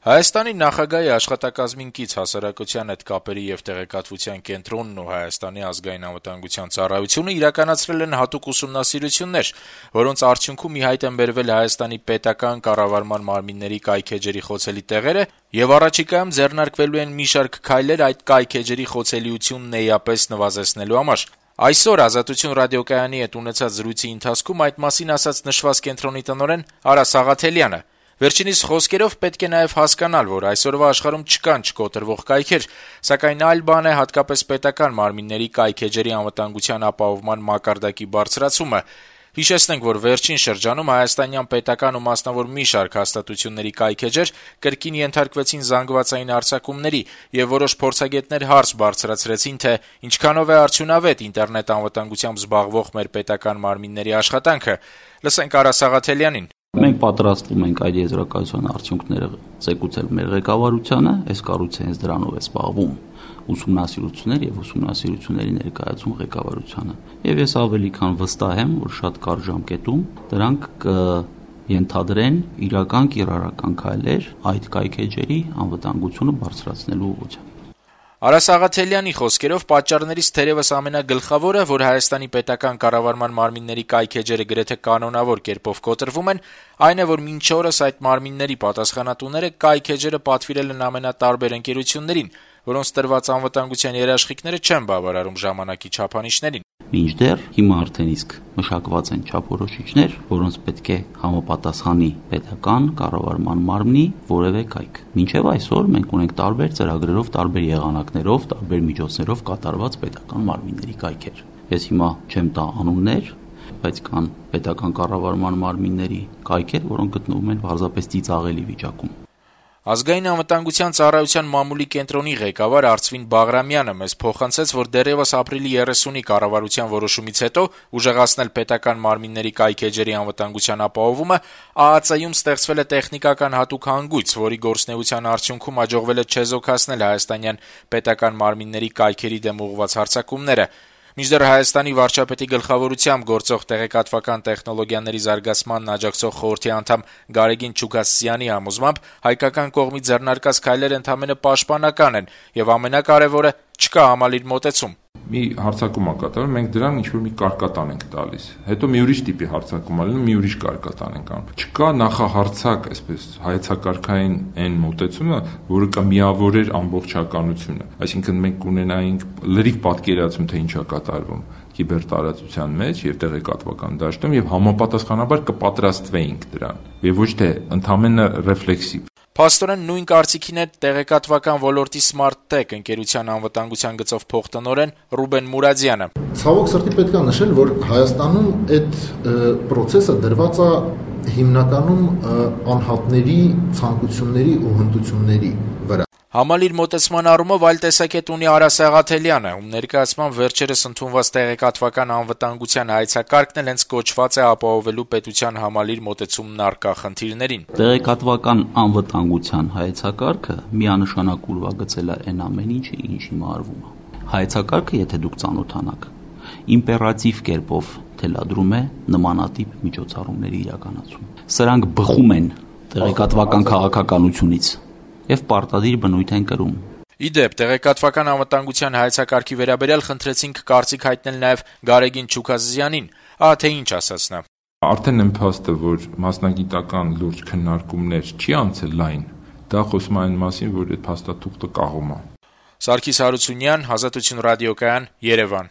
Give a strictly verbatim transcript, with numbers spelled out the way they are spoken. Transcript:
Հայաստանի նախագահի աշխատակազմին կից հասարակության հետ կապերի եւ տեղեկատվության կենտրոնն ու Հայաստանի ազգային անվտանգության ծառայությունը իրականացրել են հատուկ ուսումնասիրություններ, որոնց արդյունքում ի հայտ են բերվել Հայաստանի պետական կառավարման մարմինների կայքէջերի խոցելի տեղերը եւ առաջիկայում ձեռնարկվելու են մի շարք քայլեր այդ կայքէջերի խոցելիությունն էապես նվազեցնելու համար։ Այսօր «Ազատություն» ռադիոկայանի հետ ունեցած զրույցի ընթացքում այդ մասին ասաց նշված կենտրոնի տնօրեն Արա Սաղաթելյանը։ Վերջինիս խոսքերով պետք է նաև հասկանալ, որ այսօրվա աշխարհում չկան չկոտրվող կայքեր, սակայն այլ բան է հատկապես պետական մարմինների կայքէջերի անվտանգության ապահովման մակարդակի բարձրացումը։ Հիշեցնենք, որ վերջին շրջանում հայաստանյան պետական ու մասնավոր մի շարք հաստատությունների կայքէջեր կրկին ենթարկվեցին զանգվածային հարձակումների, եւ որոշ փորձագետներ հարց բարձրացրեցին, թե ինչքանով է արդյունավետ ինտերնետ անվտանգությամբ զբաղվող մեր պետական մարմինների աշխատանքը։ Լսենք Արա Սաղաթելյանին։ Մենք պատրաստվում ենք այդ եզրակացության արդյունքները ցեկուցել մեր ղեկավարությանը, այս կառույցը հենց դրանով է զբաղվում, ուսումնասիրություններ եւ ուսումնասիրությունների ներկայացում ղեկավարությանը։ Եվ ես ավելի քան վստահ եմ, որ շատ կարճ ժամկետում դրանք կենթադրեն իրական կիրառական քայլեր այդ կայքէջերի անվտանգությունը բարձրացնելու ուղղությամբ։ Արա Սաղաթելյանի խոսքերով պատճառներից թերևս ամենագլխավորը, որ Հայաստանի պետական կառավարման մարմինների կայքէջերը գրեթե կանոնավոր կերպով կոտրվում են, այն է, որ մինչ օրս այդ մարմինների պատասխանատուները կայքէջերը պատվիրել են ամենատարբեր ընկերություններին, որոնց տրված անվտանգության երաշխիքները չեն բավարարում ժամանակի չափանիշներին։ Մինչդեռ հիմա արդեն իսկ մշակված են չափորոշիչներ, որոնց պետք է համապատասխանի պետական կառավարման մարմնի որևէ կայք։ Մինչև այսօր մենք ունենք տարբեր ծրագրերով, տարբեր եղանակներով, տարբեր միջոցներով կատարված պետական մարմինների կայքեր։ Ես հիմա չեմ տա անուններ, բայց կան պետական կառավարման մարմինների կայքեր, որոնք գտնվում են պարզապես ծիծաղելի վիճակում։ Ազգային անվտանգության ծառայության մամուլի կենտրոնի ղեկավար Արծվին Բաղրամյանը մեզ փոխանցեց, որ դեռևս ապրիլի երեսունի կառավարության որոշումից հետո ուժեղացնել պետական մարմինների կայքէջերի անվտանգության ապահովումը ԱԱԾ-ում ստեղծվել է տեխնիկական հատուկ հանգույց, որի գործունեության արդյունքում հաջողվել է չեզոքացնել հայաստանյան պետական մարմինների կայքերի դեմ ուղղված հարձակումները։ Մինչդեռ Հայաստանի վարչապետի գլխավորությամբ գործող տեղեկատվական տեխնոլոգիաների զարգացմանն աջակցող խորհրդի անդամ Գարեգին Չուքասյանի համոզմամբ հայկական կողմի ձեռնարկած քայլերը ընդամենը պաշտպանական են եւ ամենակարևորը չկա համալիր մոտեցում։ Մի հարձակում է կատարվում, մենք դրան ինչ-որ մի կարկատան ենք տալիս։ Հետո մի ուրիշ տիպի հարձակում է լինում, մի ուրիշ կարկատան ենք անում։ Չկա նախահարցակ, այսպես հայեցակարգային այն մոտեցումը, որը կմիավորեր ամբողջականությունը։ Այսինքն մենք ունենայինք լրիվ պատկերացում, թե ինչ է կատարվում կիբերտարածության մեջ եւ տեղեկատվական դաշտում եւ համապատասխանաբար կպատրաստվեինք դրան եւ ոչ թե ընդամենը ռեֆլեքսիվ։ Փաստորեն նույն կարծիքին է տեղեկատվական ոլորտի Smart Tech ընկերության անվտանգության գծով փոխտնօրեն Ռուբեն Մուրադյանը։ Ցավոք սրտի պետք է նշել, որ Հայաստանում այդ process-ը դրված է հիմնականում անհատների ցանկությունների ու հմտությունների վրա։ Համալիր մոտեցման առումով այլ տեսակետ ունի Արա Սաղաթելյանը, ում ներկայացման վերջերս ընդունված տեղեկատվական անվտանգության հայեցակարգն էլ հենց կոչված է ապահովելու պետության համալիր մոտեցումն առկա խնդիրներին։ Տեղեկատվական անվտանգության հայեցակարգը միանշանակ ուրվագծել է այն ամեն ինչը, ինչ հիմա արվում է։ Հայեցակարգը, եթե դուք ծանոթանաք, իմպերատիվ կերպով թելադրում է նմանատիպ միջոցառումների իրականացում։ Սրանք բխում են տեղեկատվական քաղաքականությունից եւ պարտադիր բնույթ են կրում։ Իդեպ, տեղեկատվական անվտանգության հայեցակարգի վերաբերյալ խնդրեցինք կարծիք հայտնել նաեւ Գարեգին Չուքասյանին, ահա թե ինչ ասաց նա։ Արդեն եմ փաստը, որ մասնագիտական լուրջ քննարկումներ չի անցել լայն, դա խոսում է այն մասին, որ այդ փաստաթուղթը կաղում է։ Սարգիս Հարությունյան, Ազատություն ռադիոկայան, Երևան։